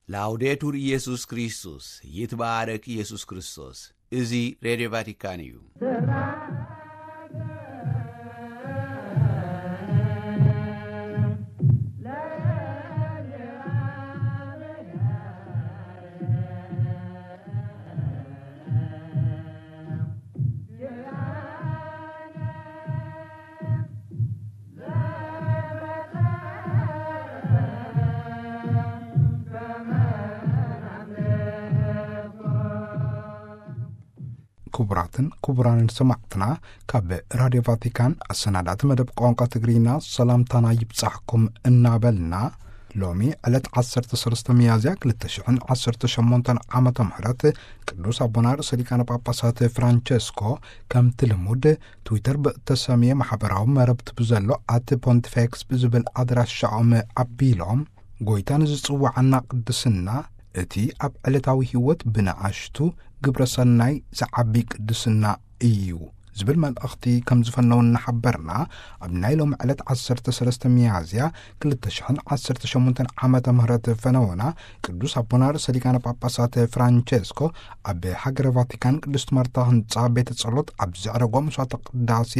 ላውዴቱር ኢየሱስ ክርስቶስ፣ ይትባረክ ኢየሱስ ክርስቶስ። እዚ ሬድዮ ቫቲካን እዩ። ክቡራትን ክቡራንን ሰማዕትና፣ ካብ ራድዮ ቫቲካን ኣሰናዳእቲ መደብ ቋንቋ ትግርኛ ሰላምታና ይብጻሕኩም እናበልና፣ ሎሚ ዕለት ዓሰርተ ሰለስተ ሚያዝያ ክልተ ሽሕን ዓሰርተ ሸሞንተን ዓመተ ምህረት ቅዱስ ኣቦና ርእሰ ሊቃነ ጳጳሳት ፍራንቸስኮ፣ ከምቲ ልሙድ፣ ትዊተር ብእተሰምየ ማሕበራዊ መረብቲ ብዘሎ ኣት ፖንቲፌክስ ብዝብል ኣድራሻኦም ኣቢሎም፣ ጎይታ ንዝጽውዓና ቅድስና፣ እቲ ኣብ ዕለታዊ ህይወት ብንኣሽቱ ግብረ ሰናይ ዝዓቢ ቅድስና እዩ ዝብል መልእኽቲ ከም ዝፈነው እናሓበርና፣ ኣብ ናይ ሎም ዕለት ዓሰርተ ሰለስተ ሚያዝያ ክልተ ሽሕን ዓሰርተ ሸሞንተን ዓመተ ምህረት ፈነወና ቅዱስ ኣቦና ርእሰ ሊቃነ ጳጳሳት ፍራንቸስኮ ኣብ ሃገረ ቫቲካን ቅድስት ማርታ ህንጻ ቤተ ጸሎት ኣብ ዘዕረጎ መስዋዕተ ቅዳሴ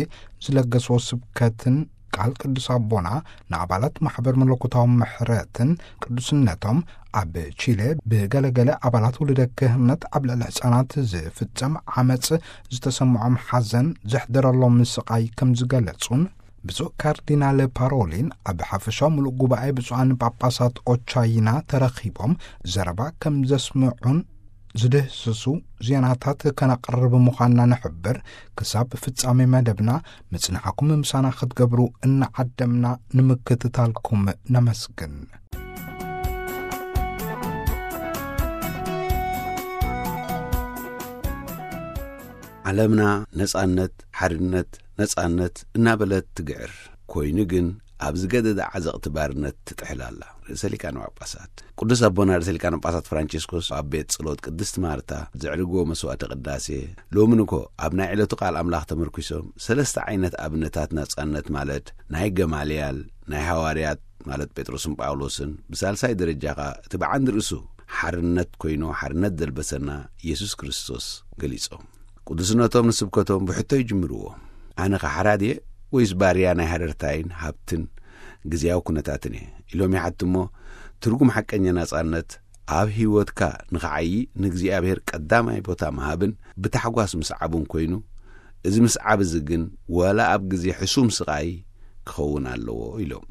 ዝለገስዎ ስብከትን ቃል ቅዱስ ኣቦና ንኣባላት ማሕበር መለኮታዊ ምሕረትን ቅዱስነቶም ኣብ ቺለ ብገለገለ ኣባላት ውልደ ክህነት ኣብ ልዕሊ ህጻናት ዝፍጸም ዓመጽ ዝተሰምዖም ሓዘን ዘሕደረሎም ስቓይ ከም ዝገለጹን፣ ብፁዕ ካርዲናል ፓሮሊን ኣብ ሓፈሻዊ ምሉእ ጉባኤ ብፁዓን ጳጳሳት ኦቻይና ተረኺቦም ዘረባ ከም ዘስምዑን ዝድህስሱ ዜናታት ከነቕርብ ምዃንና ንሕብር። ክሳብ ፍጻሜ መደብና ምጽንሓኩም ምሳና ክትገብሩ እናዓደምና ንምክትታልኩም ነመስግን። ዓለምና ነጻነት፣ ሓርነት፣ ነጻነት እናበለት ትግዕር። ኮይኑ ግን ኣብ ዝገደደ ዓዘቕቲ ባርነት ትጥሕል ኣላ። ርእሰ ሊቃነ ጳጳሳት ቅዱስ ኣቦና ርእሰ ሊቃነ ጳጳሳት ፍራንቸስኮስ ኣብ ቤት ጸሎት ቅድስት ማርታ ዘዕርግዎ መስዋዕተ ቅዳሴ፣ ሎምን እኮ ኣብ ናይ ዕለቱ ቃል ኣምላኽ ተመርኲሶም ሰለስተ ዓይነት ኣብነታት ናጻነት፣ ማለት ናይ ገማልያል፣ ናይ ሃዋርያት፣ ማለት ጴጥሮስን ጳውሎስን፣ ብሳልሳይ ደረጃ ኸኣ እቲ ብዓንዲ ርእሱ ሓርነት ኮይኑ፣ ሓርነት ዘልበሰና ኢየሱስ ክርስቶስ ገሊጾም። ቅዱስነቶም ንስብከቶም ብሕቶ ይጅምርዎ። ኣነ ኸ ሓራ ድየ ወይስ ባርያ ናይ ሃረርታይን ሃብትን ግዜያዊ ኩነታትን እየ? ኢሎም ይሓቱ እሞ፣ ትርጉም ሓቀኛ ናጻነት ኣብ ህይወትካ ንኽዓዪ ንእግዚኣብሔር ቀዳማይ ቦታ ምሃብን ብታሕጓስ ምስዓቡን ኮይኑ፣ እዚ ምስዓብ እዚ ግን ዋላ ኣብ ግዜ ሕሱም ስቓይ ክኸውን ኣለዎ ኢሎም።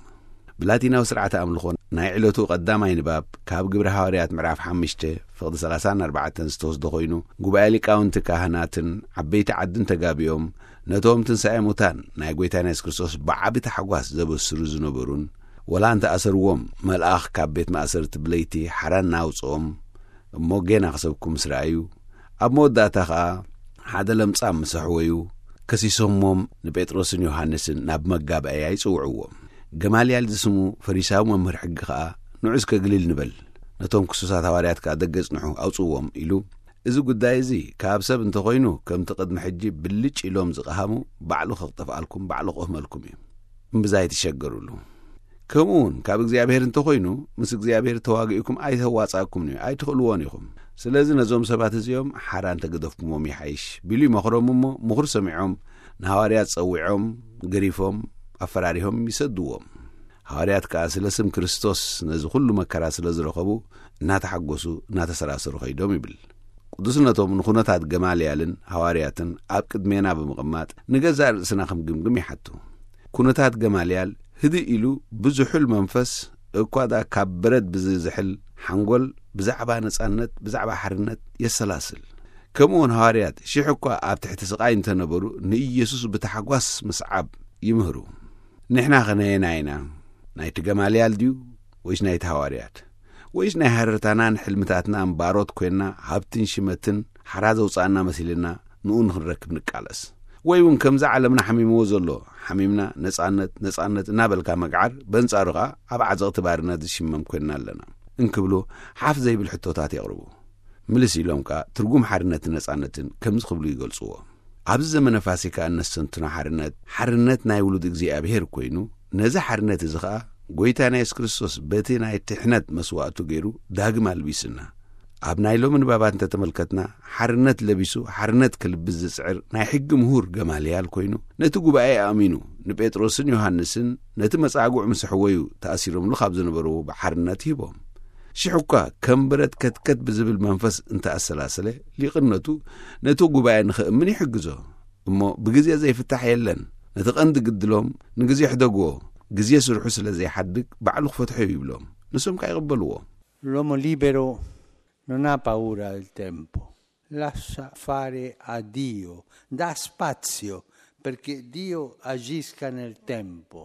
ብላቲናዊ ስርዓተ ኣምልኾ ናይ ዕለቱ ቀዳማይ ንባብ ካብ ግብሪ ሃዋርያት ምዕራፍ ሓሙሽተ ፍቕዲ ሰላሳን ኣርባዕተን ዝተወስደ ኮይኑ፣ ጉባኤ ሊቃውንቲ ካህናትን ዓበይቲ ዓድን ተጋቢኦም ነቶም ትንሳኤ ሙታን ናይ ጐይታና የሱስ ክርስቶስ ብዓቢ ታሕጓስ ዘበስሩ ዝነበሩን፣ ወላ እንተ ኣሰርዎም፣ መልኣኽ ካብ ቤት ማእሰርቲ ብለይቲ ሓራ እናውጽኦም፣ እሞ ጌና ክሰብኩ ምስ ረኣዩ፣ ኣብ መወዳእታ ኸኣ ሓደ ለምጻም ምስ ኣሕወዩ፣ ከሲሶሞም ንጴጥሮስን ዮሃንስን ናብ መጋባእያ ይጽውዕዎም። ገማልያል ዝስሙ ፈሪሳዊ መምህር ሕጊ ኸኣ፣ ንዑ እስከ ግልል ንበል፣ ነቶም ክሱሳት ሃዋርያት ከኣ ደገ ጽንሑ፣ ኣውጽዎም ኢሉ፣ እዚ ጉዳይ እዚ ካብ ሰብ እንተኾይኑ፣ ከምቲ ቅድሚ ሕጂ ብልጭ ኢሎም ዝቐሃሙ፣ ባዕሉ ከጠፍኣልኩም፣ ባዕሉ ክቕህመልኩም እዩ። እምብዛ ኣይትሸገሩሉ። ከምኡ እውን ካብ እግዚኣብሔር እንተኾይኑ፣ ምስ እግዚኣብሔር ተዋጊእኩም ኣይተዋጻእኩምን እዩ፣ ኣይትኽእልዎን ኢኹም። ስለዚ ነዞም ሰባት እዚኦም ሓራ እንተገደፍኩሞም ይሓይሽ፣ ቢሉ ይመኽሮም እሞ፣ ምኽሩ ሰሚዖም፣ ንሃዋርያት ጸዊዖም፣ ገሪፎም፣ ኣፈራሪሆም ይሰድዎም። ሃዋርያት ከኣ ስለ ስም ክርስቶስ ነዚ ኹሉ መከራ ስለ ዝረኸቡ፣ እናተሓጎሱ፣ እናተሰራሰሩ ኸይዶም ይብል። ቅዱስነቶም ንኹነታት ገማልያልን ሃዋርያትን ኣብ ቅድሜና ብምቕማጥ፣ ንገዛእ ርእስና ክንግምግም ይሓቱ። ኩነታት ገማልያል ህድእ ኢሉ፣ ብዝሑል መንፈስ፣ እኳ ደኣ ካብ በረድ ብዝዝሕል ሓንጎል፣ ብዛዕባ ነጻነት፣ ብዛዕባ ሓርነት የሰላስል። ከምኡውን ሃዋርያት፣ ሽሕ እኳ ኣብ ትሕቲ ስቓይ እንተነበሩ፣ ንኢየሱስ ብታሕጓስ ምስዓብ ይምህሩ። ንሕና ኸ ነየናይ ኢና? ናይቲ ገማልያል ድዩ ወይስ ናይቲ ሃዋርያት? ወይስ ናይ ሃረርታናን ሕልምታትናን ባሮት ኮይንና፣ ሃብትን ሽመትን ሓራ ዘውጻእና መሲልና፣ ንኡ ንኽንረክብ ንቃለስ? ወይ እውን ከምዛ ዓለምና ሓሚምዎ ዘሎ፣ ሓሚምና ነጻነት፣ ነጻነት እናበልካ ምግዓር፣ በንጻሩ ኸኣ ኣብ ዓዘቕቲ ባርነት ዝሽመም ኮይንና ኣለና? እንክብሉ ሓፍ ዘይብል ሕቶታት የቕርቡ። ምልስ ኢሎም ከኣ ትርጉም ሓርነትን ነጻነትን ከምዚ ክብሉ ይገልጽዎ። ኣብዚ ዘመነ ፋሲካ እነስተንትኖ ሓርነት፣ ሓርነት ናይ ውሉድ እግዚኣብሔር ኮይኑ፣ ነዚ ሓርነት እዚ ኸኣ ጎይታና የሱስ ክርስቶስ በቲ ናይ ትሕነት መስዋእቱ ገይሩ ዳግም ኣልቢስና። ኣብ ናይ ሎሚ ንባባት እንተተመልከትና፣ ሓርነት ለቢሱ ሓርነት ክልብስ ዝጽዕር ናይ ሕጊ ምሁር ገማልያል ኮይኑ፣ ነቲ ጉባኤ ኣእሚኑ፣ ንጴጥሮስን ዮሃንስን ነቲ መጻጉዕ ምስ ኣሕወዩ ተኣሲሮምሉ ካብ ዝነበርዎ ብሓርነት ሂቦም። ሽሕ እኳ ከም ብረት ከትከት ብዝብል መንፈስ እንተኣሰላሰለ፣ ሊቕነቱ ነቲ ጉባኤ ንኽእምን ይሕግዞ። እሞ ብግዜ ዘይፍታሕ የለን። ነቲ ቀንዲ ግድሎም ንግዜ ሕደግዎ። ግዜ ስርሑ ስለ ዘይሓድግ ባዕሉ ክፈትሖ እዩ ይብሎም። ንሶም ከኣ ይቕበልዎ። L'uomo libero non ha paura del tempo, lascia fare a Dio, dà spazio perché Dio agisca nel tempo.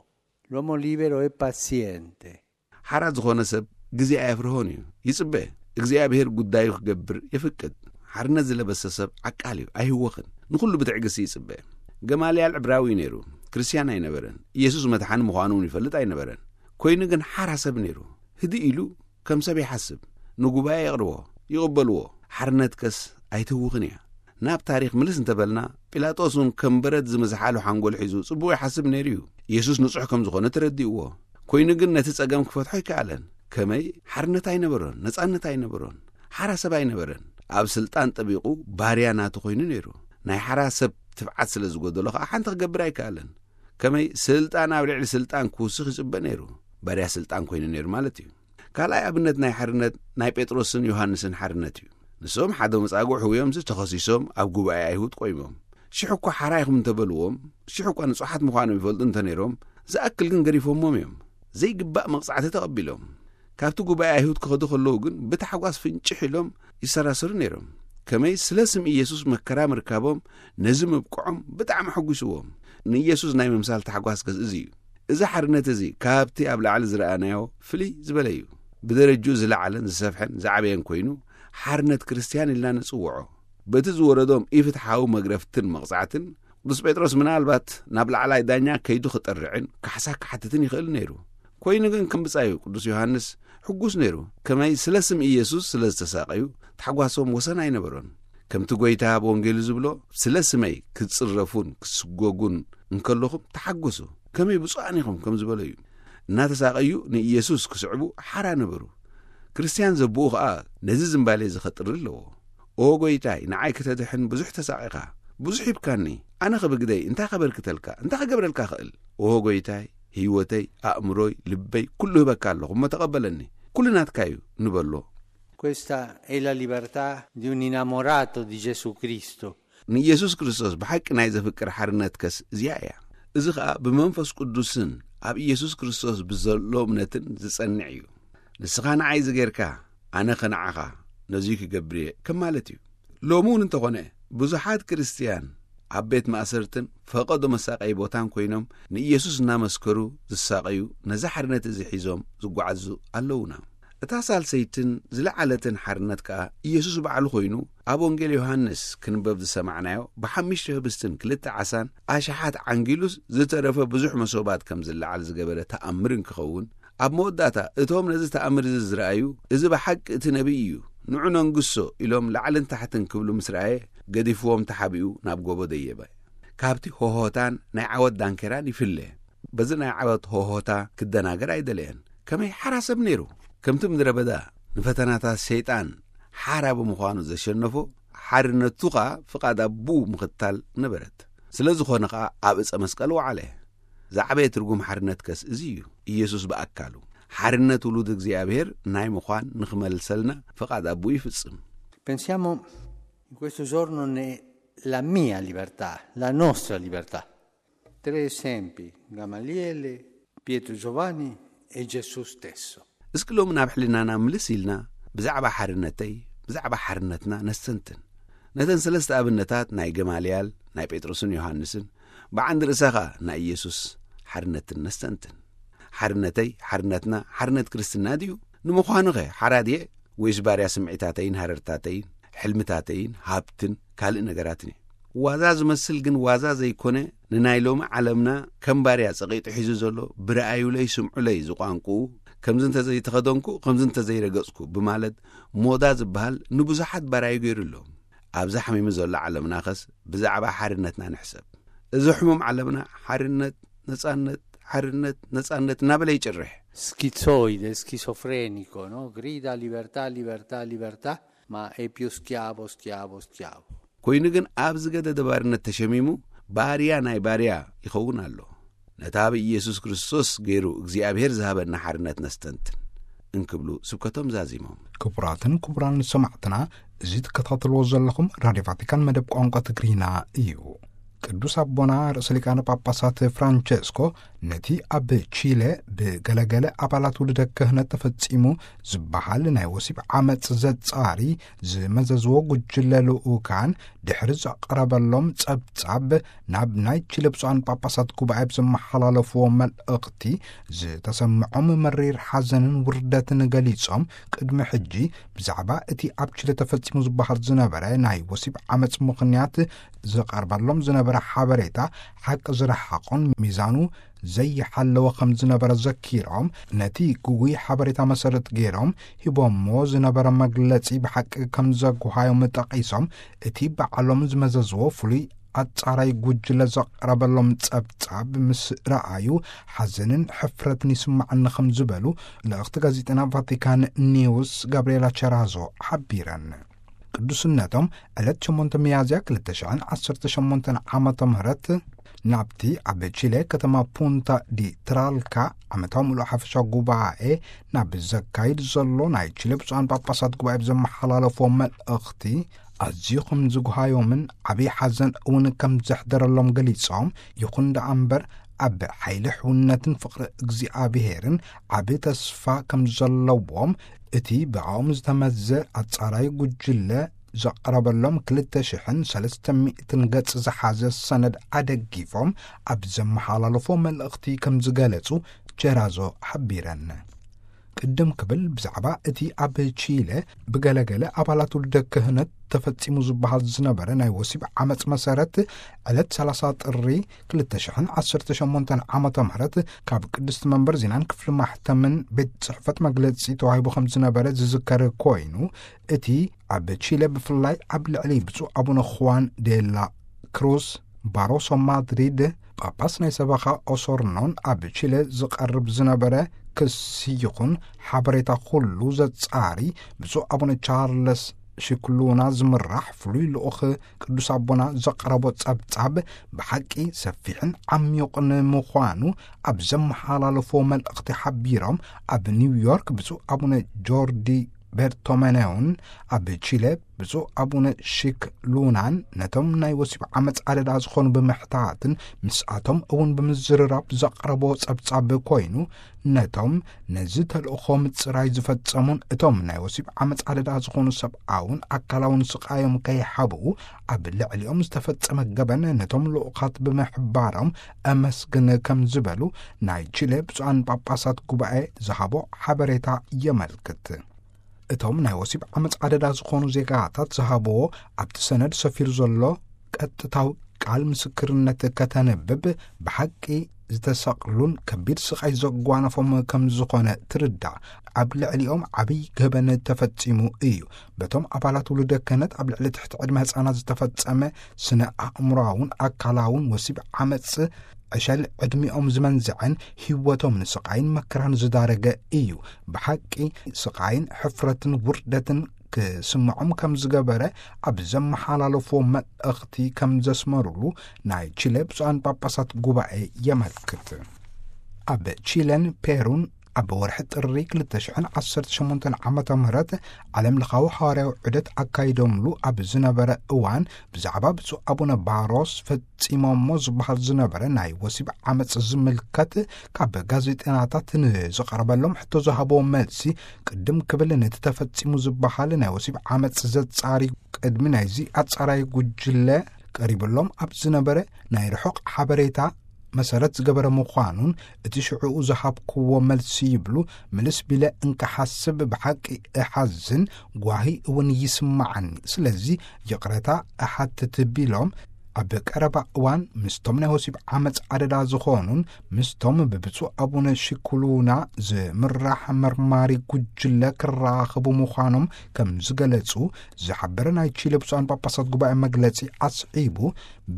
L'uomo libero è paziente. ሓራ ዝኾነ ሰብ ግዜ ኣየፍርሆን እዩ፣ ይጽበ። እግዚኣብሔር ጉዳዩ ክገብር የፍቅድ። ሓርነት ዝለበሰ ሰብ ዓቃል እዩ፣ ኣይህወኽን። ንኹሉ ብትዕግስቲ ይጽበ። ገማልያል ዕብራዊ እዩ ነይሩ፣ ክርስትያን ኣይነበረን። ኢየሱስ መድሓኒ ምዃኑ እውን ይፈልጥ ኣይነበረን። ኮይኑ ግን ሓራ ሰብ ነይሩ። ህድእ ኢሉ ከም ሰብ ይሓስብ። ንጉባኤ የቕርቦ፣ ይቕበልዎ። ሓርነትከስ ኣይትህውኽን እያ። ናብ ታሪኽ ምልስ እንተበልና፣ ጲላጦስ እውን ከም በረድ ዝመዝሓሉ ሓንጎል ሒዙ ጽቡቕ ይሓስብ ነይሩ እዩ። ኢየሱስ ንጹሕ ከም ዝኾነ ተረዲእዎ። ኮይኑ ግን ነቲ ጸገም ክፈትሖ ኣይከኣለን። ከመይ? ሓርነት ኣይነበሮን፣ ነጻነት ኣይነበሮን። ሓራ ሰብ ኣይነበረን። ኣብ ስልጣን ጠቢቑ ባርያ ናቱ ኮይኑ ነይሩ። ናይ ሓራ ሰብ ትብዓት ስለ ዝጎደሎ ከኣ ሓንቲ ክገብር ኣይከኣለን። ከመይ? ስልጣን ኣብ ልዕሊ ስልጣን ክውስኽ ይጽበ ነይሩ። ባርያ ስልጣን ኮይኑ ነይሩ ማለት እዩ። ካልኣይ ኣብነት ናይ ሓርነት ናይ ጴጥሮስን ዮሃንስን ሓርነት እዩ። ንሶም ሓደ መጻጉዕ ህውዮምሲ ተኸሲሶም ኣብ ጉባኤ ኣይሁድ ቆይሞም። ሽሕ እኳ ሓራ ኢኹም እንተበልዎም፣ ሽሕ እኳ ንጹሓት ምዃኖም ይፈልጡ እንተነይሮም፣ ዝኣክል ግን ገሪፎሞም እዮም። ዘይግባእ መቕጻዕቲ ተቐቢሎም። ካብቲ ጉባኤ ኣይሁድ ክኸዱ ከለዉ ግን ብታሕጓስ ፍንጭሕ ኢሎም ይሰራሰሩ ነይሮም። ከመይ? ስለ ስም ኢየሱስ መከራ ምርካቦም ነዚ ምብቅዖም ብጣዕሚ ኣሐጒስዎም። ንኢየሱስ ናይ ምምሳል ታሕጓስ ከስ እዚ እዩ። እዚ ሓርነት እዚ ካብቲ ኣብ ላዕሊ ዝረኣናዮ ፍልይ ዝበለ እዩ። ብደረጅኡ ዝለዓለን ዝሰፍሐን ዝዓበየን ኮይኑ፣ ሓርነት ክርስትያን ኢልና ንጽውዖ። በቲ ዝወረዶም ኢፍትሓዊ መግረፍትን መቕጻዕትን፣ ቅዱስ ጴጥሮስ ምናልባት ናብ ላዕላይ ዳኛ ከይዱ ክጠርዕን ካሕሳ ክሓትትን ይኽእል ነይሩ። ኮይኑ ግን ከም ብጻዩ ቅዱስ ዮሃንስ ሕጉስ ነይሩ። ከመይ? ስለ ስም ኢየሱስ ስለ ዝተሳቐዩ፣ ታሕጓሶም ወሰን ኣይነበሮን። ከምቲ ጐይታ ኣብ ወንጌሉ ዝብሎ፣ ስለ ስመይ ክትጽረፉን ክትስጎጉን እንከለኹም ተሓጎሱ። ከመይ ብፁዓን ኢኹም ከም ዝበሎ እዩ። እናተሳቐዩ ንኢየሱስ ክስዕቡ ሓራ ነበሩ። ክርስትያን ዘብኡ ኸኣ ነዚ ዝምባሌ እዚ ኸጥሪ ኣለዎ። ኦ ጐይታይ፣ ንዓይ ክተድሕን ብዙሕ ተሳቒኻ፣ ብዙሕ ሂብካኒ፣ ኣነ ኸብግደይ እንታይ ኸበርክተልካ፣ እንታይ ኸገብረልካ ኽእል? ኦ ጐይታይ፣ ህይወተይ፣ ኣእምሮይ፣ ልበይ፣ ኩሉ ህበካ ኣለኹ፣ እሞ ተቐበለኒ። ኩሉ ናትካ እዩ ንበሎ። Questa è la libertà di un innamorato di Gesù Cristo. ንኢየሱስ ክርስቶስ ብሓቂ ናይ ዘፍቅር ሓርነትከስ እዚኣ እያ። እዚ ኸኣ ብመንፈስ ቅዱስን ኣብ ኢየሱስ ክርስቶስ ብዘሎ እምነትን ዝጸንዕ እዩ። ንስኻ ንዓይ ዝጌርካ፣ ኣነ ኸ ንዓኻ ነዙይ ክገብር እየ ከም ማለት እዩ። ሎሚ እውን እንተኾነ፣ ብዙሓት ክርስትያን ኣብ ቤት ማእሰርትን ፈቐዶ መሳቀዪ ቦታን ኮይኖም ንኢየሱስ እናመስከሩ ዝሳቐዩ፣ ነዚ ሓርነት እዚ ሒዞም ዝጓዓዙ ኣለዉና። እታ ሳልሰይትን ዝለዓለትን ሓርነት ከኣ ኢየሱስ ባዕሉ ኮይኑ ኣብ ወንጌል ዮሃንስ ክንበብ ዝሰማዕናዮ ብሓሙሽተ ህብስትን ክልተ ዓሳን ኣሽሓት ዓንጊሉስ ዝተረፈ ብዙሕ መሶባት ከም ዝለዓል ዝገበረ ተኣምር እንክኸውን፣ ኣብ መወዳእታ እቶም ነዚ ተኣምር እዚ ዝረኣዩ፣ "እዚ ብሓቂ እቲ ነቢይ እዩ፣ ንዑ ነንግሶ" ኢሎም ላዕልን ታሕትን ክብሉ ምስ ረኣየ፣ ገዲፍዎም ተሓቢኡ ናብ ጎቦ ደየበ። ካብቲ ሆሆታን ናይ ዓወት ዳንኬራን ይፍለ። በዚ ናይ ዓወት ሆሆታ ክደናገር ኣይደለየን። ከመይ ሓራ ሰብ ነይሩ። ከምቲ ምድረ በዳ ንፈተናታት ሸይጣን ሓራ ብምዃኑ ዘሸነፎ፣ ሓርነቱ ኸኣ ፍቓድ ኣቦኡ ምኽታል ነበረት። ስለ ዝኾነ ኸኣ ኣብ እጸ መስቀል ወዓለ። ዝዓበየ ትርጉም ሓርነትከስ እዚ እዩ። ኢየሱስ ብኣካሉ ሓርነት ውሉድ እግዚኣብሔር ናይ ምዃን ንኽመልሰልና ፍቓድ ኣቦኡ ይፍጽም። Pensiamo in questo giorno ne la mia libertà, la nostra libertà. Tre esempi, Gamaliele, Pietro Giovanni e Gesù stesso. እስኪ ሎሚ ናብ ሕልናና ምልስ ኢልና ብዛዕባ ሓርነተይ፣ ብዛዕባ ሓርነትና ነስተንትን። ነተን ሰለስተ ኣብነታት ናይ ገማልያል፣ ናይ ጴጥሮስን ዮሃንስን፣ ብዓንዲ ርእሳ ኸኣ ናይ ኢየሱስ ሓርነትን ነስተንትን። ሓርነተይ፣ ሓርነትና፣ ሓርነት ክርስትና ድዩ? ንምዃኑኸ ሓራ ድየ? ወይስ ባርያ ስምዒታተይን ሃረርታተይን፣ ሕልምታተይን፣ ሃብትን ካልእ ነገራትን እየ? ዋዛ ዝመስል ግን ዋዛ ዘይኮነ፣ ንናይ ሎሚ ዓለምና ከም ባርያ ጸቒጡ ሒዙ ዘሎ ብረኣዩለይ ስምዑለይ ዝቋንቁኡ፣ ከምዚ እንተዘይተኸደንኩ፣ ከምዚ እንተዘይረገጽኩ ብማለት ሞዳ ዝበሃል ንብዙሓት ባራዩ ገይሩ ኣሎ። ኣብዛ ሓሚሙ ዘሎ ዓለምናኸስ ብዛዕባ ሓርነትና ንሕሰብ። እዚ ሕሙም ዓለምና ሓርነት፣ ነጻነት፣ ሓርነት፣ ነጻነት እናበለ ይጭርሕ። Schizoide, schizofrenico, no? Grida libertà, libertà, libertà, ma è più schiavo, schiavo, schiavo. ኮይኑ ግን ኣብ ዝገደደ ባርነት ተሸሚሙ ባርያ ናይ ባርያ ይኸውን ኣሎ። ነታ ብኢየሱስ ክርስቶስ ገይሩ እግዚኣብሔር ዝሃበና ሓርነት ነስተንትን እንክብሉ ስብከቶም ዛዚሞም። ክቡራትን ክቡራን ሰማዕትና፣ እዚ ትከታተልዎ ዘለኹም ራድዮ ቫቲካን መደብ ቋንቋ ትግርኛ እዩ። ቅዱስ ኣቦና ርእሰ ሊቃነ ጳጳሳት ፍራንቸስኮ ነቲ ኣብ ቺለ ብገለገለ ኣባላት ውልደ ክህነት ተፈጺሙ ዝበሃል ናይ ወሲብ ዓመጽ ዘጻሪ ዝመዘዝዎ ጉጅለ ልኡካን ድሕሪ ዘቕረበሎም ጸብጻብ፣ ናብ ናይ ቺለ ብፁዓን ጳጳሳት ጉባኤ ብዘመሓላለፍዎ መልእኽቲ ዝተሰምዖም መሪር ሓዘንን ውርደትን ገሊጾም፣ ቅድሚ ሕጂ ብዛዕባ እቲ ኣብ ቺለ ተፈጺሙ ዝበሃል ዝነበረ ናይ ወሲብ ዓመጽ ምኽንያት ዝቐርበሎም ዝነበረ ሓበሬታ ሓቂ ዝረሓቖን ሚዛኑ ዘይሓለወ ከም ዝነበረ ዘኪሮም፣ ነቲ ግጉይ ሓበሬታ መሰረት ገይሮም ሂቦሞ ዝነበረ መግለጺ ብሓቂ ከም ዘጉሃዮም ጠቒሶም፣ እቲ ባዕሎም ዝመዘዝዎ ፍሉይ ኣጻራይ ጉጅለ ዘቕረበሎም ጸብጻብ ምስ ረኣዩ ሓዘንን ሕፍረትን ይስማዓኒ ከም ዝበሉ ልእኽቲ ጋዜጠና ቫቲካን ኒውስ ጋብርኤላ ቸራዞ ሓቢረን። ቅዱስነቶም ዕለት ሸሞንተ ሚያዝያ ክልተ ሽሕን ዓሰርተ ሸሞንተን ዓመተ ምህረት ናብቲ ኣብ ቺለ ከተማ ፑንታ ዲ ትራልካ ዓመታዊ ምሉእ ሓፈሻ ጉባኤ ናብ ዘካይድ ዘሎ ናይ ቺለ ብፁዓን ጳጳሳት ጉባኤ ብዘመሓላለፎ መልእኽቲ፣ ኣዝዩ ከም ዝጉሃዮምን ዓብዪ ሓዘን እውን ከም ዘሕደረሎም ገሊጾም፣ ይኹን ደኣ እምበር ኣብ ሓይሊ ሕውነትን ፍቕሪ እግዚኣብሄርን ዓቢ ተስፋ ከም ዘለዎም፣ እቲ ብኣኦም ዝተመዘ ኣጻራይ ጉጅለ ዘቕረበሎም ክልተ ሽሕን ሰለስተ ሚእትን ገጽ ዝሓዘ ሰነድ ኣደጊፎም ኣብ ዘመሓላለፎ መልእኽቲ ከም ዝገለጹ ጀራዞ ሓቢረን። ቅድም ክብል ብዛዕባ እቲ ኣብ ቺለ ብገለገለ ኣባላት ውልደ ክህነት ተፈጺሙ ዝበሃል ዝነበረ ናይ ወሲብ ዓመጽ መሰረት ዕለት ሰላሳ ጥሪ ክልተ ሽሕን ዓሰርተ ሸሞንተን ዓመተ ምህረት ካብ ቅድስቲ መንበር ዜናን ክፍሊ ማሕተምን ቤት ጽሕፈት መግለጺ ተዋሂቡ ከም ዝነበረ ዝዝከር ኮይኑ፣ እቲ ኣብ ቺለ ብፍላይ ኣብ ልዕሊ ብፁዕ ኣቡነ ኹዋን ዴላ ክሩስ ባሮሶ ማድሪድ ጳጳስ ናይ ሰበኻ ኦሶርኖን ኣብ ቺለ ዝቐርብ ዝነበረ ክሲ ይኹን ሓበሬታ ኩሉ ዘጻሪ ብፁዕ ኣቡነ ቻርለስ ሽክሉና ዝምራሕ ፍሉይ ልኡኽ ቅዱስ ኣቦና ዘቕረቦ ጸብጻብ ብሓቂ ሰፊሕን ዓሚቑን ምዃኑ ኣብ ዘመሓላለፎ መልእኽቲ ሓቢሮም፣ ኣብ ኒውዮርክ ብፁዕ ኣቡነ ጆርዲ ቤርቶመኔውን ኣብ ቺለ ብፁዕ ኣቡነ ሺክ ሉናን ነቶም ናይ ወሲብ ዓመፅ ኣደዳ ዝኾኑ ብምሕታትን ምስኣቶም እውን ብምዝርራብ ዘቕረቦ ጸብጻብ ኮይኑ፣ ነቶም ነዚ ተልእኾ ምጽራይ ዝፈጸሙን እቶም ናይ ወሲብ ዓመፅ ኣደዳ ዝኾኑ ሰብኣውን ኣካላውን ስቓዮም ከይሓብኡ ኣብ ልዕሊኦም ዝተፈጸመ ገበን ነቶም ልኡኻት ብምሕባሮም ኣመስግን ከም ዝበሉ ናይ ቺለ ብፁዓን ጳጳሳት ጉባኤ ዝሃቦ ሓበሬታ የመልክት። እቶም ናይ ወሲብ ዓመፅ ኣደዳ ዝኾኑ ዜጋታት ዝሃብዎ ኣብቲ ሰነድ ሰፊሩ ዘሎ ቀጥታዊ ቃል ምስክርነት ከተንብብ ብሓቂ ዝተሰቕሉን ከቢድ ስቓይ ዘጓነፎም ከም ዝኾነ ትርዳእ። ኣብ ልዕሊኦም ዓብይ ገበን ተፈጺሙ እዩ። በቶም ኣባላት ውሉደ ክህነት ኣብ ልዕሊ ትሕቲ ዕድመ ህፃናት ዝተፈጸመ ስነ ኣእምሮኣውን ኣካላውን ወሲብ ዓመፅ ዕሸል ዕድሚኦም ዝመንዝዐን ህይወቶም ንስቓይን መከራን ዝዳረገ እዩ። ብሓቂ ስቓይን ሕፍረትን ውርደትን ክስምዖም ከም ዝገበረ ኣብ ዘመሓላለፍዎ መልእኽቲ ከም ዘስመሩሉ ናይ ቺለ ብፁዓን ጳጳሳት ጉባኤ የመልክት። ኣብ ቺለን ፔሩን ኣብ ወርሒ ጥሪ ክልተ ሽሕን ዓሰርተ ሸሞንተን ዓመተ ምህረት ዓለም ለኻዊ ሃዋርያዊ ዑደት ኣካይዶምሉ ኣብ ዝነበረ እዋን ብዛዕባ ብፁዕ ኣቡነ ባሮስ ፈጺሞሞ ዝበሃል ዝነበረ ናይ ወሲብ ዓመፅ ዝምልከት ካብ ጋዜጠናታት ንዝቐረበሎም ሕቶ ዝሃብዎ መልሲ ቅድም ክብል ነቲ ተፈጺሙ ዝበሃል ናይ ወሲብ ዓመፅ ዘጻሪ ቅድሚ ናይዚ ኣጻራይ ጉጅለ ቀሪብሎም ኣብ ዝነበረ ናይ ርሑቕ ሓበሬታ መሰረት ዝገበረ ምዃኑን እቲ ሽዕኡ ዝሃብክዎ መልሲ ይብሉ ምልስ ቢለ እንክሓስብ ብሓቂ እሓዝን ጓሂ እውን ይስማዓኒ። ስለዚ ይቕረታ እሓትት ቢሎም ኣብ ቀረባ እዋን ምስቶም ናይ ወሲብ ዓመፅ ኣደዳ ዝኾኑን ምስቶም ብብፁዕ ኣቡነ ሽኩሉና ዝምራሕ መርማሪ ጉጅለ ክራኸቡ ምዃኖም ከም ዝገለጹ ዝሓበረ ናይ ቺለ ብፁዓን ጳጳሳት ጉባኤ መግለጺ ኣስዒቡ፣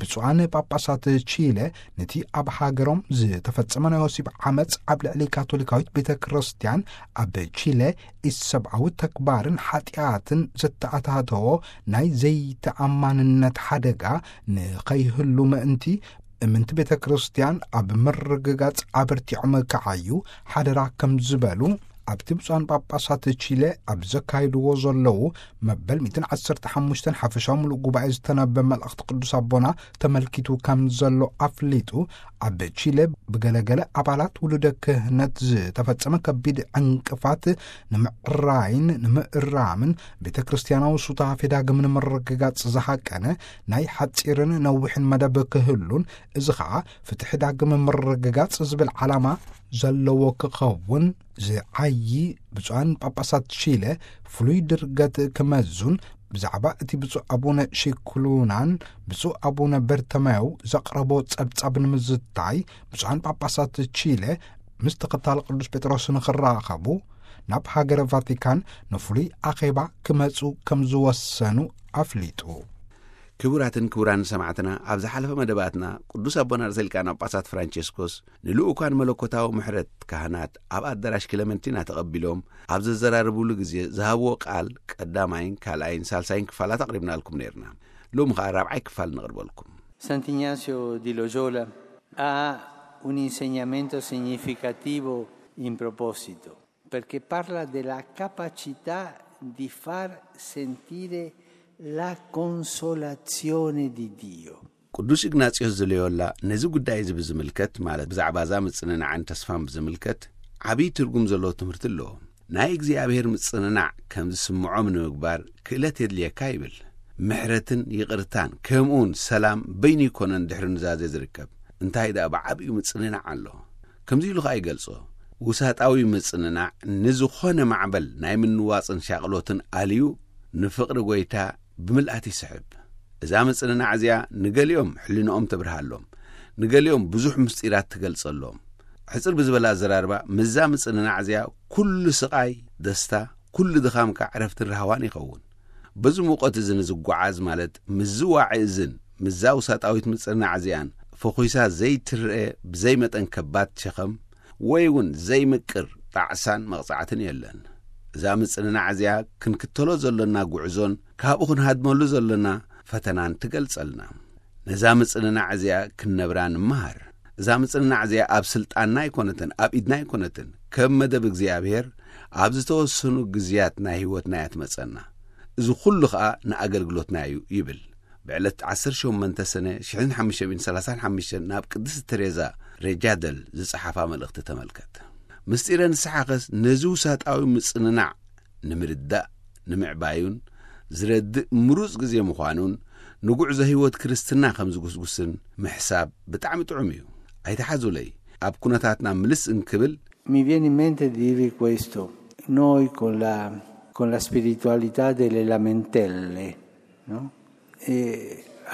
ብፁዓን ጳጳሳት ቺለ ነቲ ኣብ ሃገሮም ዝተፈጸመ ናይ ወሲብ ዓመፅ ኣብ ልዕሊ ካቶሊካዊት ቤተ ክርስቲያን ኣብ ቺለ ኢሰብኣዊ ተግባርን ሓጢኣትን ዘተኣታተዎ ናይ ዘይተኣማንነት ሓደጋ ንኸይህሉ ምእንቲ እምንቲ ቤተ ክርስቲያን ኣብ ምርግጋጽ ኣበርቲዖም ክዓዩ ሓደራ ከም ዝበሉ ኣብቲ ብፁዓን ጳጳሳት ቺለ ኣብ ዘካይድዎ ዘለዉ መበል ሚእትን ዓሰርተ ሓሙሽተን ሓፈሻዊ ምሉእ ጉባኤ ዝተነበ መልእኽቲ ቅዱስ ኣቦና ተመልኪቱ ከም ዘሎ ኣፍሊጡ፣ ኣብ ቺለ ብገለገለ ኣባላት ውሉደ ክህነት ዝተፈጸመ ከቢድ ዕንቅፋት ንምዕራይን ንምእራምን ቤተ ክርስቲያናዊ ሱታፌ ዳግም ንምርግጋጽ ዝሃቀነ ናይ ሓጺርን ነዊሕን መደብ ክህሉን፣ እዚ ኸኣ ፍትሒ ዳግም ምርግጋጽ ዝብል ዓላማ ዘለዎ ክኸውን ዝዓዪ ብፁዓን ጳጳሳት ቺለ ፍሉይ ድርገት ክመዙን ብዛዕባ እቲ ብፁዕ ኣቡነ ሺክሉናን ብፁዕ ኣቡነ በርተመው ዘቕረቦ ጸብጻብ ንምዝታይ ብፁዓን ጳጳሳት ቺለ ምስ ተኸታሊ ቅዱስ ጴጥሮስ ንኽራኸቡ ናብ ሃገረ ቫቲካን ንፍሉይ ኣኼባ ክመጹ ከም ዝወሰኑ ኣፍሊጡ። ክቡራትን ክቡራን ሰማዕትና፣ ኣብ ዝሓለፈ መደባትና ቅዱስ ኣቦና ርእሰ ሊቃነ ጳጳሳት ፍራንቸስኮስ ንልኡካን መለኮታዊ ምሕረት ካህናት ኣብ ኣዳራሽ ክለመንቲና ተቐቢሎም ኣብ ዘዘራርቡሉ ግዜ ዝሃብዎ ቃል ቀዳማይን ካልኣይን ሳልሳይን ክፋላት ኣቕሪብናልኩም ነይርና። ሎሚ ኸኣ ራብዓይ ክፋል ነቕርበልኩም። Sant'Ignazio di Loyola ha un insegnamento significativo in proposito, perché parla della capacità di far sentire la consolazione di Dio. ቅዱስ ኢግናጽዮስ ዘሎዮላ ነዚ ጉዳይ እዚ ብዝምልከት፣ ማለት ብዛዕባ እዛ ምጽንናዕን ተስፋን ብዝምልከት ዓብዪ ትርጉም ዘለዎ ትምህርቲ ኣለዎ። ናይ እግዚኣብሔር ምጽንናዕ ከም ዝስምዖም ንምግባር ክእለት የድልየካ ይብል። ምሕረትን ይቕርታን ከምኡውን ሰላም በይኑ ይኮነን ድሕሪ ኑዛዜ ዝርከብ፣ እንታይ ደኣ ብዓብዩ ምጽንናዕ ኣሎ። ከምዚ ኢሉ ኸኣ ይገልጾ፣ ውሳጣዊ ምጽንናዕ ንዝኾነ ማዕበል ናይ ምንዋጽን ሻቕሎትን ኣልዩ ንፍቕሪ ጐይታ ብምልኣት ይስሕብ። እዛ ምጽንናዕ እዚኣ ንገሊኦም ሕልንኦም ተብርሃሎም፣ ንገሊኦም ብዙሕ ምስጢራት ትገልጸሎም። ሕጽር ብዝበላ ኣዘራርባ፣ ምስዛ ምጽንናዕ እዚኣ ኩሉ ስቓይ ደስታ፣ ኩሉ ድኻምካ ዕረፍትን ራህዋን ይኸውን። በዚ ሙቐት እዚ ንዝጓዓዝ፣ ማለት ምስዚ ዋዒ እዝን ምስዛ ውሳጣዊት ምጽንናዕ እዚኣን ፈኹሳ ዘይትረአ ብዘይ መጠን ከባድ ሸኸም ወይ እውን ዘይምቅር ጣዕሳን መቕጻዕትን የለን። እዛ ምጽንናዕ እዚኣ ክንክተሎ ዘሎና ጉዕዞን ካብኡ ክንሃድመሉ ዘሎና ፈተናን ትገልጸልና። ነዛ ምጽንናዕ እዚኣ ክንነብራ ንምሃር። እዛ ምጽንናዕ እዚኣ ኣብ ስልጣንና ኣይኮነትን፣ ኣብ ኢድና ኣይኮነትን። ከም መደብ እግዚኣብሔር ኣብ ዝተወሰኑ ግዝያት ናይ ህይወትና እያ ትመጸና። እዚ ኩሉ ኸኣ ንኣገልግሎትና እዩ ይብል። ብዕለት ዓሰርተ ሸሞንተ ሰነ ሽሕን ሓሙሽተ ሚእትን ሰላሳን ሓሙሽተን ናብ ቅድስቲ ተሬዛ ሬጃደል ዝጸሓፋ መልእኽቲ ተመልከት። ምስጢረ ንስሓኸስ ነዚ ውሳጣዊ ምጽንናዕ ንምርዳእ ንምዕባዩን ዝረድእ ምሩጽ ግዜ ምዃኑን ንጉዕዞ ህይወት ክርስትና ከም ዝጉስጉስን ምሕሳብ ብጣዕሚ ጥዑም እዩ። ኣይትሓዙለይ፣ ኣብ ኩነታትና ምልስ እንክብል Mi viene in mente di dire questo, noi con la, con la spiritualità delle lamentele, no? E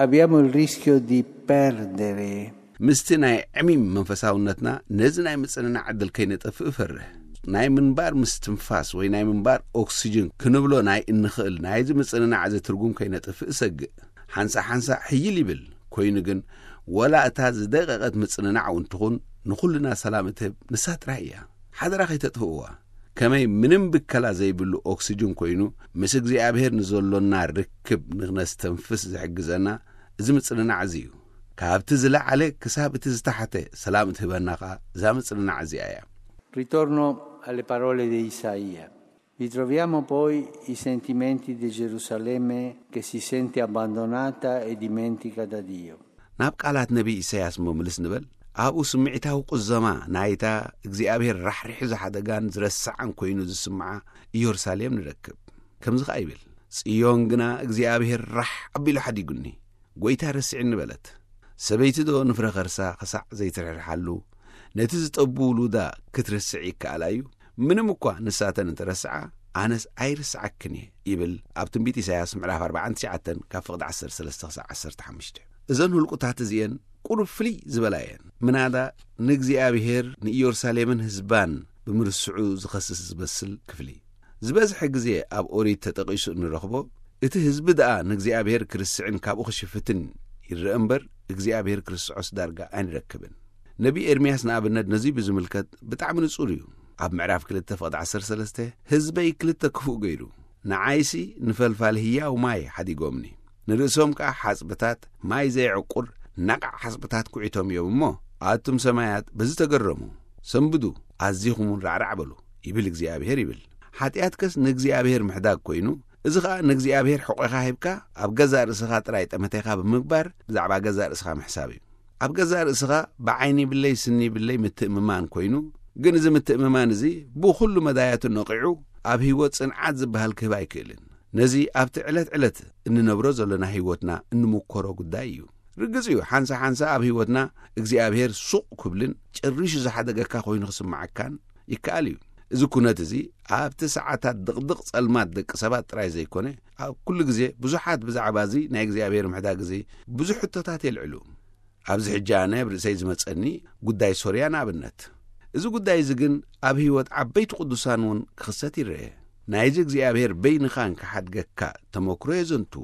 abbiamo il rischio di perdere ምስቲ ናይ ዕሚም መንፈሳውነትና ነዚ ናይ ምጽንናዕ ዕድል ከይነጠፍእ እፈርህ። ናይ ምንባር ምስትንፋስ ወይ ናይ ምንባር ኦክሲጅን ክንብሎ ናይ እንኽእል ናይዚ ምጽንናዕ እዚ ትርጉም ከይነጥፍእ እሰግእ። ሓንሳእ ሓንሳእ ሕይል ይብል። ኮይኑ ግን፣ ወላ እታ ዝደቀቐት ምጽንናዕ እውን ትኹን፣ ንኹልና ሰላም እትህብ ንሳ ጥራይ እያ። ሓደራ ከይተጥፍእዋ። ከመይ ምንም ብከላ ዘይብሉ ኦክሲጅን ኮይኑ፣ ምስ እግዚኣብሔር ንዘሎና ርክብ ንኽነስተንፍስ ዝሕግዘና እዚ ምጽንናዕ እዚ እዩ። ካብቲ ዝለዓለ ክሳብ እቲ ዝተሓተ ሰላም እትህበና ኸኣ እዛ ምጽንናዕ እዚኣ እያ። Ritorno alle parole di Isaia. Ritroviamo poi i sentimenti di Gerusalemme che si sente abbandonata e dimentica da Dio. ናብ ቃላት ነቢይ ኢሳያስ እሞ ምልስ ንበል። ኣብኡ ስምዒታዊ ቁዘማ ናይታ እግዚኣብሔር ራሕሪሑ ዝሓደጋን ዝረስዓን ኮይኑ ዝስምዓ ኢየሩሳሌም ንረክብ። ከምዚ ኸኣ ይብል፣ ጽዮን ግና እግዚኣብሔር ራሕ ኣቢሉ ሓዲጉኒ፣ ጐይታ ረሲዕኒ በለት። ሰበይቲ ዶ ንፍረ ኸርሳ ኽሳዕ ዘይትርሕርሓሉ፣ ነቲ ዝጠቡ ውሉዳ ክትርስዕ ይከኣላ እዩ? ምንም እኳ ንሳተን እንተረስዓ፣ ኣነስ ኣይርስዓክን እየ ይብል ኣብ ትንቢት ኢሳያስ ምዕራፍ ኣርባዓን ትሽዓተን ካብ ፍቕዲ ዓሰርተ ሰለስተ ክሳዕ ዓሰርተ ሓሙሽተ። እዘን ህልቁታት እዚኤን ቁሩብ ፍልይ ዝበላ እየን። ምናዳ ንእግዚኣብሔር ንኢየሩሳሌምን ህዝባን ብምርስዑ ዝኸስስ ዝመስል ክፍሊ። ዝበዝሐ ግዜ ኣብ ኦሪት ተጠቒሱ እንረኽቦ፣ እቲ ህዝቢ ደኣ ንእግዚኣብሔር ክርስዕን ካብኡ ክሽፍትን ይረአ እምበር፣ እግዚኣብሔር ክርስዖስ ዳርጋ ኣይንረክብን። ነቢ ኤርምያስ ንኣብነት ነዚ ብዝምልከት ብጣዕሚ ንጹር እዩ። ኣብ ምዕራፍ ክልተ ፍቕዲ ዓሰርተ ሰለስተ፣ ህዝበይ ክልተ ክፉእ ገይሩ፣ ንዓይሲ ንፈልፋል ህያው ማይ ሓዲጎምኒ፣ ንርእሶም ከኣ ሓጽብታት ማይ ዘየዕቁር ናቓዕ ሓጽብታት ኩዒቶም እዮም እሞ፣ ኣቱም ሰማያት በዚ ተገረሙ፣ ሰንብዱ፣ ኣዚኹም እውን ራዕራዕ በሉ፣ ይብል እግዚኣብሔር ይብል። ሓጢኣትከስ ንእግዚኣብሔር ምሕዳግ ኮይኑ፣ እዚ ኸኣ ንእግዚኣብሔር ሕቖኻ ሂብካ ኣብ ገዛእ ርእስኻ ጥራይ ጠመቴኻ ብምግባር ብዛዕባ ገዛእ ርእስኻ ምሕሳብ እዩ። ኣብ ገዛእ ርእስኻ ብዓይኒ ይብለይ ስኒ ይብለይ ምትእምማን ኮይኑ፣ ግን እዚ ምትእምማን እዚ ብኹሉ መዳያቱ ነቒዑ ኣብ ህይወት ጽንዓት ዝበሃል ክህብ ኣይክእልን። ነዚ ኣብቲ ዕለት ዕለት እንነብሮ ዘለና ህይወትና እንምኮሮ ጉዳይ እዩ። ርግጽ እዩ፣ ሓንሳ ሓንሳ ኣብ ህይወትና እግዚኣብሔር ሱቕ ክብልን ጭሪሹ ዝሓደገካ ኮይኑ ክስምዓካን ይከኣል እዩ። እዚ ኩነት እዚ ኣብቲ ሰዓታት ድቕድቕ ጸልማት ደቂ ሰባት ጥራይ ዘይኮነ፣ ኣብ ኩሉ ግዜ ብዙሓት ብዛዕባ እዚ ናይ እግዚኣብሔር ምሕዳግ እዚ ብዙሕ ሕቶታት የልዕሉ። ኣብዚ ሕጂ ኣነ ኣብ ርእሰይ ዝመጸኒ ጉዳይ ሶርያ ንኣብነት። እዚ ጉዳይ እዚ ግን ኣብ ህይወት ዓበይቲ ቅዱሳን እውን ክኽሰት ይረአ። ናይዚ እግዚኣብሔር በይንኻን ክሓድገካ ተመክሮ የዘንቱ።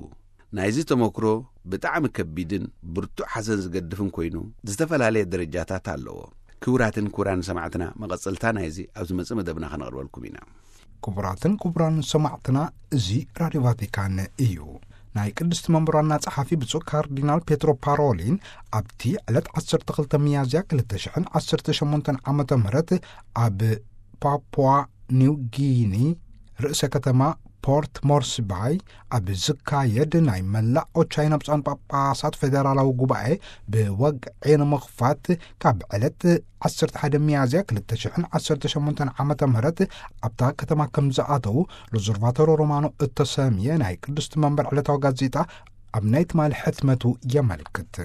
ናይዚ ተመክሮ ብጣዕሚ ከቢድን ብርቱዕ ሓዘን ዝገድፍን ኮይኑ፣ ዝተፈላለየ ደረጃታት ኣለዎ። ክቡራትን ክቡራን ሰማዕትና፣ መቐጸልታ ናይዚ ኣብ ዝመጽእ መደብና ከነቕርበልኩም ኢና። ክቡራትን ክቡራን ሰማዕትና፣ እዚ ራድዮ ቫቲካን እዩ። ናይ ቅድስቲ መንበር ዋና ጸሓፊ ብፁዕ ካርዲናል ፔትሮ ፓሮሊን ኣብቲ ዕለት ዓሰርተ ክልተ ሚያዝያ ክልተ ሽሕን ዓሰርተ ሸሞንተን ዓመተ ምህረት ኣብ ፓፑዋ ኒው ጊኒ ርእሰ ከተማ ፖርት ሞርስባይ ኣብ ዝካየድ ናይ መላእ ኦቻይና ብፁዓን ጳጳሳት ፌደራላዊ ጉባኤ ብወግዒ ንምኽፋት ካብ ዕለት ዓሰርተ ሓደ ሚያዝያ ክልተ ሽሕን ዓሰርተ ሸሞንተን ዓመተ ምህረት ኣብታ ከተማ ከም ዝኣተዉ ሎዘርቫቶሮ ሮማኖ እተሰምየ ናይ ቅድስቲ መንበር ዕለታዊ ጋዜጣ ኣብ ናይ ትማሊ ሕትመቱ የመልክት።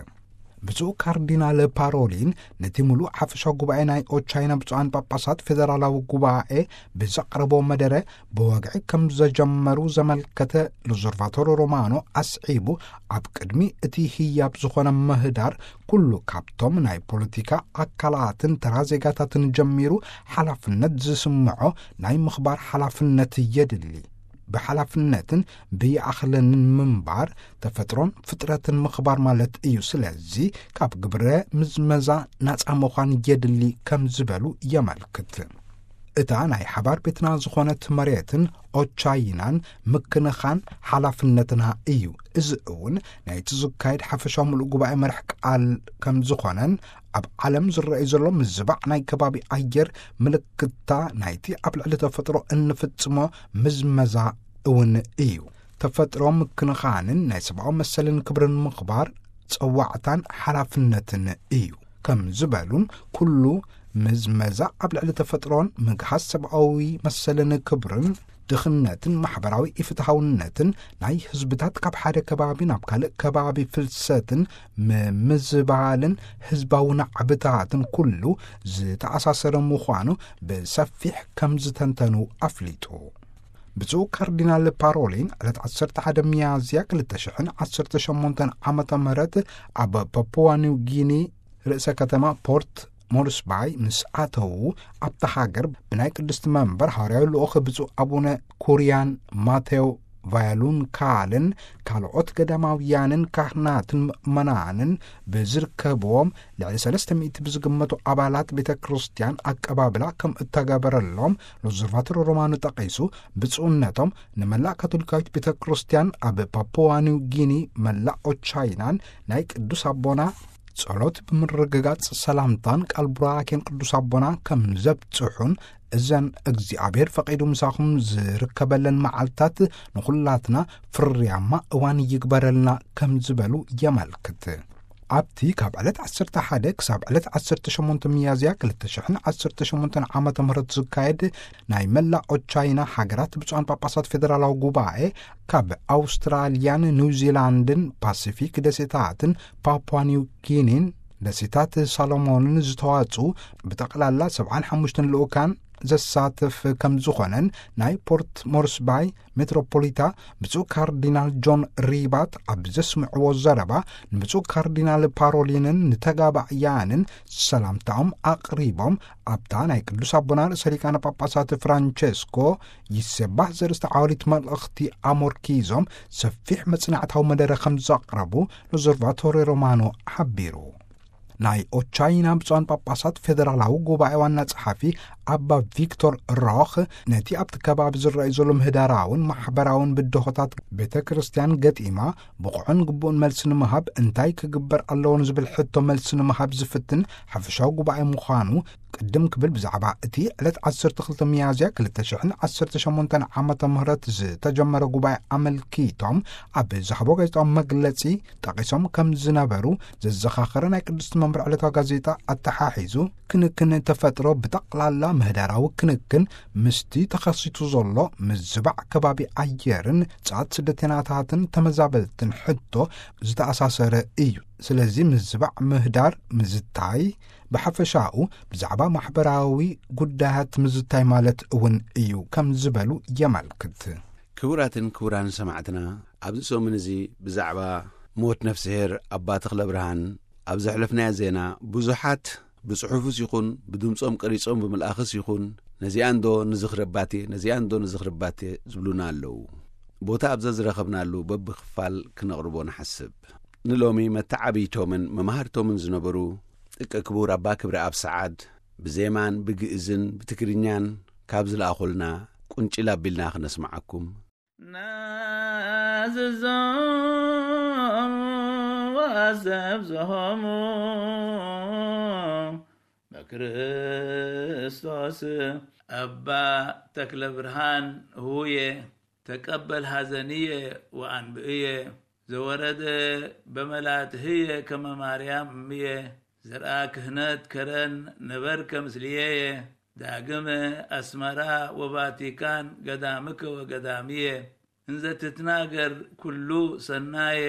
ብፁዕ ካርዲናል ፓሮሊን ነቲ ምሉእ ሓፈሻዊ ጉባኤ ናይ ኦቻይና ብፁዓን ጳጳሳት ፌደራላዊ ጉባኤ ብዘቕረቦ መደረ ብወግዒ ከም ዘጀመሩ ዘመልከተ ሎዘርቫቶሮ ሮማኖ ኣስዒቡ፣ ኣብ ቅድሚ እቲ ህያብ ዝኾነ ምህዳር ኩሉ ካብቶም ናይ ፖለቲካ ኣካላትን ተራ ዜጋታትን ጀሚሩ ሓላፍነት ዝስምዖ ናይ ምኽባር ሓላፍነት የድሊ። ብሓላፍነትን ብይኣኽለንን ምንባር ተፈጥሮን ፍጥረትን ምኽባር ማለት እዩ። ስለዚ ካብ ግብረ ምዝመዛ ናጻ ምዃን የድሊ ከም ዝበሉ የመልክት። እታ ናይ ሓባር ቤትና ዝኾነት መሬትን ኦቻይናን ምክንኻን ሓላፍነትና እዩ። እዚ እውን ናይቲ ዝካየድ ሓፈሻዊ ምሉእ ጉባኤ መርሕ ቃል ከም ዝኾነን ኣብ ዓለም ዝረኣዩ ዘሎ ምዝባዕ ናይ ከባቢ ኣየር ምልክታ ናይቲ ኣብ ልዕሊ ተፈጥሮ እንፍጽሞ ምዝመዛ እውን እዩ። ተፈጥሮ ምክንኻንን ናይ ሰብኣዊ መሰልን ክብርን ምኽባር ጸዋዕታን ሓላፍነትን እዩ ከም ዝበሉን፣ ኩሉ ምዝመዛ ኣብ ልዕሊ ተፈጥሮን ምግሃስ ሰብኣዊ መሰልን ክብርን ድኽነትን ማሕበራዊ ኢፍትሃውነትን ናይ ህዝብታት ካብ ሓደ ከባቢ ናብ ካልእ ከባቢ ፍልሰትን ምምዝባልን ህዝባዊ ናዕብታትን ኩሉ ዝተኣሳሰረ ምዃኑ ብሰፊሕ ከም ዝተንተኑ ኣፍሊጡ። ብፁዕ ካርዲናል ፓሮሊን ዕለት ዓሰርተ ሓደ ሚያዝያ ክልተ ሽሕን ዓሰርተ ሸሞንተን ዓመተ ምህረት ኣብ ፓፑዋ ኒው ጊኒ ርእሰ ከተማ ፖርት ሞርስባይ ምስ ኣተዉ፣ ኣብታ ሃገር ብናይ ቅድስቲ መንበር ሃዋርያዊ ልኡኽ ብፁዕ ኣቡነ ኩርያን ማቴዎ ቫያሉንካልን ካልኦት ገዳማውያንን ካህናትን ምእመናንን ብዝርከብዎም ልዕሊ ሰለስተ ሚእቲ ብዝግመቱ ኣባላት ቤተ ክርስቲያን ኣቀባብላ ከም እተገበረሎም ሎዘርቫቶር ሮማኑ ጠቒሱ፣ ብፁዕነቶም ንመላእ ካቶሊካዊት ቤተ ክርስቲያን ኣብ ፓፑዋ ኒው ጊኒ፣ መላእ ኦቻይናን ናይ ቅዱስ ኣቦና ጸሎት ብምርግጋጽ ሰላምታን ቃል ቡራኬን ቅዱስ ኣቦና ከም ዘብጽሑን፣ እዘን እግዚኣብሔር ፈቒዱ ምሳኹም ዝርከበለን መዓልታት ንኹላትና ፍርያማ እዋን ይግበረልና ከም ዝበሉ የመልክት። ኣብቲ ካብ ዕለት ዓሰርተ ሓደ ክሳብ ዕለት ዓሰርተ ሸሞንተ ሚያዝያ ክልተ ሽሕን ዓሰርተ ሸሞንተን ዓመተ ምህረት ዝካየድ ናይ መላእ ኦቻይና ሃገራት ብፁዓን ጳጳሳት ፌደራላዊ ጉባኤ፣ ካብ ኣውስትራልያን ኒውዚላንድን ፓሲፊክ ደሴታትን ፓፑዋ ኒው ጊኒን ደሴታት ሳሎሞንን ዝተዋጽኡ ብጠቕላላ ሰብዓን ሓሙሽተን ልኡካን ዘሳትፍ ከም ዝኾነን ናይ ፖርት ሞርስባይ ሜትሮፖሊታ ብፁዕ ካርዲናል ጆን ሪባት ኣብ ዘስምዕዎ ዘረባ፣ ንብፁዕ ካርዲናል ፓሮሊንን ንተጋባእያንን ሰላምታኦም ኣቕሪቦም፣ ኣብታ ናይ ቅዱስ ኣቦና ርእሰ ሊቃነ ጳጳሳት ፍራንቸስኮ ይሴባህ ዘርእስተ ዓወሊት መልእኽቲ ኣሞርኪዞም ሰፊሕ መጽናዕታዊ መደረ ከም ዘቕረቡ ሎዘርቫቶሪ ሮማኖ ሓቢሩ። ናይ ኦቻይና ብፁዓን ጳጳሳት ፌደራላዊ ጉባኤ ዋና ጸሓፊ ኣባ ቪክቶር ሮኽ፣ ነቲ ኣብቲ ከባቢ ዝረኣዩ ዘሎ ምህዳራውን ማሕበራውን ብድሆታት ቤተ ክርስቲያን ገጢማ ብቑዕን ግቡእን መልሲ ንምሃብ እንታይ ክግበር ኣለዎ ንዝብል ሕቶ መልሲ ንምሃብ ዝፍትን ሓፈሻዊ ጉባኤ ምዃኑ ቅድም ክብል ብዛዕባ እቲ ዕለት ዓሰርተ ክልተ ሚያዝያ ክልተ ሽሕን ዓሰርተ ሸሞንተን ዓመተ ምህረት ዝተጀመረ ጉባኤ ኣመልኪቶም ኣብ ዝሃቦ ጋዜጣዊ መግለጺ ጠቒሶም ከም ዝነበሩ ዘዘኻኸረ ናይ ቅድስቲ መንበር ዕለታዊ ጋዜጣ ኣተሓሒዙ፣ ክንክን ተፈጥሮ ብጠቕላላ ምህዳራዊ ክንክን ምስቲ ተኸሲቱ ዘሎ ምዝባዕ ከባቢ ኣየርን ጻት ስደተኛታትን ተመዛበልትን ሕቶ ዝተኣሳሰረ እዩ። ስለዚ ምዝባዕ ምህዳር ምዝታይ ብሓፈሻኡ ብዛዕባ ማሕበራዊ ጉዳያት ምዝታይ ማለት እውን እዩ ከም ዝበሉ የመልክት። ክቡራትን ክቡራን ሰማዕትና፣ ኣብዚ ሰሙን እዚ ብዛዕባ ሞት ነፍስሄር ኣባ ተኽለ ብርሃን ኣብ ዘሕለፍናዮ ዜና ብዙሓት ብጽሑፍስ ይኹን ብድምጾም ቀሪጾም ብምልኣኽስ ይኹን ነዚኣንዶ ንዝኽረባቴ፣ ነዚኣንዶ ንዝኽረባቴ ዝብሉና ኣለዉ። ቦታ ኣብዛ ዝረኸብናሉ በብኽፋል ክነቕርቦ ንሓስብ። ንሎሚ መተዓብይቶምን መማህርቶምን ዝነበሩ ጥቀ ክቡር ኣባ ክብረኣብ ሰዓድ ብዜማን ብግእዝን ብትግርኛን ካብ ዝለኣኹልና ቁንጭል ኣቢልና ክነስምዓኩም። ናዝዞም ወዘብዝሆሙ በክርስቶስ ኣባ ተክለ ብርሃን ህውየ ተቀበል ሐዘንየ ወአንብእየ ዘወረደ በመላትህየ ከመ ማርያም እምየ ዘርአ ክህነት ከረን ነበርከ ምስልየየ ዳግመ አስመራ ወቫቲካን ገዳምከ ወገዳምየ እንዘ ትትናገር ኩሉ ሰናየ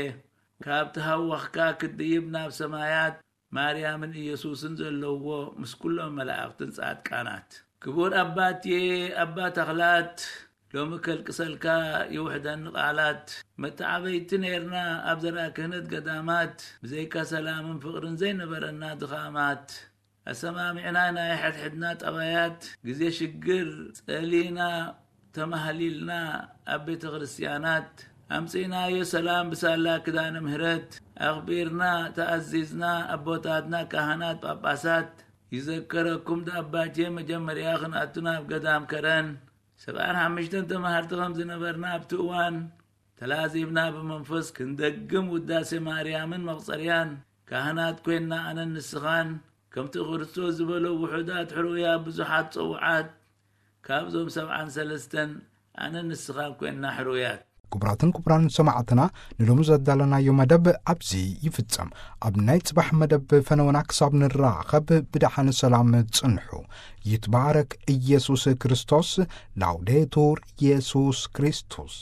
ካብ ተሃወኽካ ክትድይብ ናብ ሰማያት ማርያምን ኢየሱስን ዘለውዎ ምስ ኩሎም መላእኽትን ጻድቃናት። ክቡር ኣባትየ ኣባ ተኽላት፣ ሎሚ ከልቅሰልካ ይውሕደኒ ቃላት። መተዓበይቲ ኔርና ኣብ ዘርኣ ክህነት ገዳማት፣ ብዘይካ ሰላምን ፍቕርን ዘይነበረና ድኻማት። ኣሰማሚዕና ናይ ሕድሕድና ጠባያት፣ ግዜ ሽግር ጸሊና ተማህሊልና ኣብ ቤተ ክርስቲያናት ኣምጺእናዮ ሰላም ብሳላ ክዳነ ምህረት ኣኽቢርና ተኣዚዝና ኣቦታትና ካህናት ጳጳሳት ይዘከረኩም ደኣባቴ መጀመርያ ክንኣቱ ናብ ገዳም ከረን ሰብዓን ሓሙሽተን ተማሃርቲ ከም ዝነበርና ኣብቲ እዋን ተላዚብና ብመንፈስ ክንደግም ውዳሴ ማርያምን መቕጸርያን ካህናት ኮይንና ኣነን ንስኻን ከምቲ ክርስቶስ ዝበሎ ውሑዳት ሕሩያት ብዙሓት ጸውዓት ካብዞም ሰብዓን ሰለስተን ኣነ ንስኻን ኮይንና ሕሩያት። ክቡራትን ክቡራን ሰማዕትና ንሎሚ ዘዳለናዮ መደብ ኣብዚ ይፍጸም። ኣብ ናይ ጽባሕ መደብ ፈነወና ክሳብ ንራኸብ ብደሓን ሰላም ጽንሑ። ይትባረክ ኢየሱስ ክርስቶስ። ላውዴቱር ኢየሱስ ክርስቶስ።